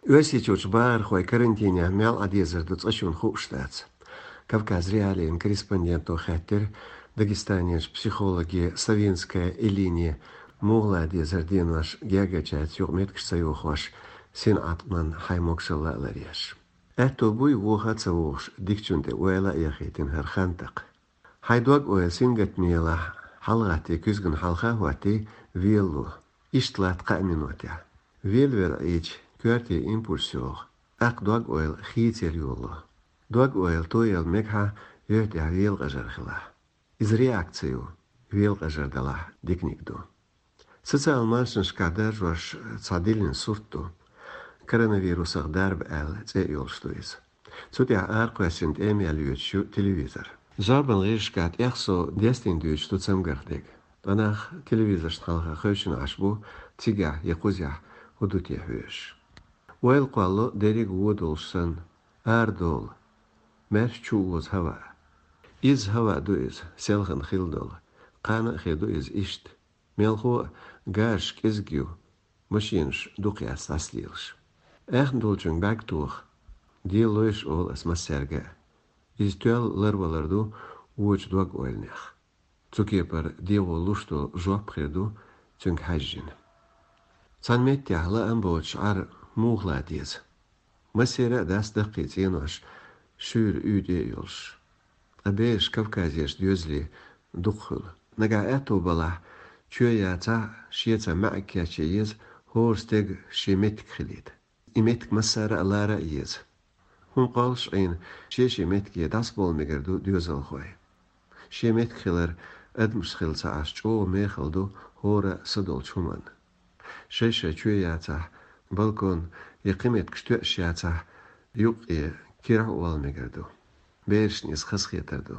Оьсичочу баархой карантинехь мел Ъадезар ду цІа чун хууш дац. Кавказ Реалиин корреспонденто хаьттира дагестанеш психологи Савинская Элине мугІла дезар денош гегачаьца юкъа меткаш ца йохош син Гӏатӏман хӀай могшалла лареш. Аьтто буй вуха ца вухуш дикчун тІе ойла а яхийтина хІара хантакх. ХӀайн дог ойла сингаттамелахь хӀалгІатий куьзгана хӀалха хІоттий велло. Иштта латта кхаъ минотехь. Вел-вела Іийча, коьрте импульс йогІу. ТІаккха дог ойла хийцер йолло. Дог ойла тоелла мегахь йоьттехь вела къажар хилахь. Иза реакция ю, вела къажар далахь диканиг ду. Социал маншнашкахь даржош цхьадиллина сурт ду. Коронавирусах дарба аьлла, цІе йолуш ду иза. Цу тІехь аркхоьссина тІемел йоьцуш ю телевизор. Жабан гІижашкахь тІехсо дестийна дуьйцуш ду цамгарх дего. Ткъа нах телевизоршна хьалха кхевчина Іаш бу, цигахь я кхузехь хІун ду те хьоьжуш. Ойла кхоллу дерриг вуво долуш санна, арадолу, маьрша чу воза ХІаваъ. Иза ХІаваъ ду иза, селхана хилладолу. Кхана а хир ду иза ишта. Мелхо а гажаш кІезиг ю, машинаш дукхъяьцна дІасалелаш. Аьхна долчуьнга баьрг тоха. Дела лойш олу аса массаьрга а. Иза тоьлла ларвалар ду вочу дог ойланех. Цу кепара дегІо луш долу жоп хир ду, цуьнга хьаьжжина. Цхьана меттехь лаам боцуш Іар мухла деза. Массера а дац даккхий цІенош шуьйра уьй тІе а йолуш. Ткъа бераш Кавказеш доьзале дукха хуьлу. Нагахь аьтто балахь, чоь яцахь, шеца маьІэг кече еза, хІора стега шен меттиг хилийта. И меттиг массара а лара а еза. ХІума кхоллуш Іийна, шен-шен меттиге дІасаболу мегар ду доьзалхой. Шен меттиг хилар адамаш хила ца Іаш, чІогІа мехал ду хІора садолчу хІуманна. Шай-шай чоь яцахь, балкон я кхин меткаш тоьшш яцахь, юккъе керхІ а волу мегар ду. Берашна иза хазахетар ду.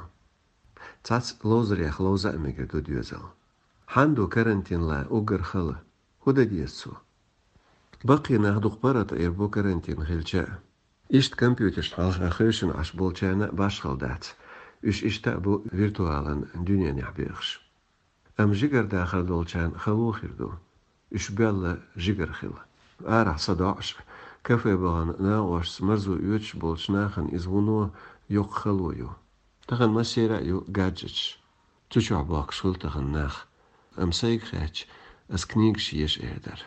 Цхьац ловзарех ловза а мегар ду доьзал. Хьанда ду карантинла уггар хала? ХІун дан деза цо? Баккхий нах дукха парат Іийр бу карантин хилча. Иштта компьютершна хьалха кхоьшина Іаш болчарна башхала дац. Уьш ишта а бу виртуалан дуьненехь бехаш. Амма жигара дахар долчарна хало хир ду. Уьш боьлла жигара хилла. Арахь са доІуш, кафе-багІана нагІошца марзо оьцуш болчу нахана иза вуно йоккха хало ю. Тахана массера а ю гаджеташ. Цу чохь бохкуш хуьлу тахана нах. Амма сайга хаьтташ, аса книгаш еза эр дара.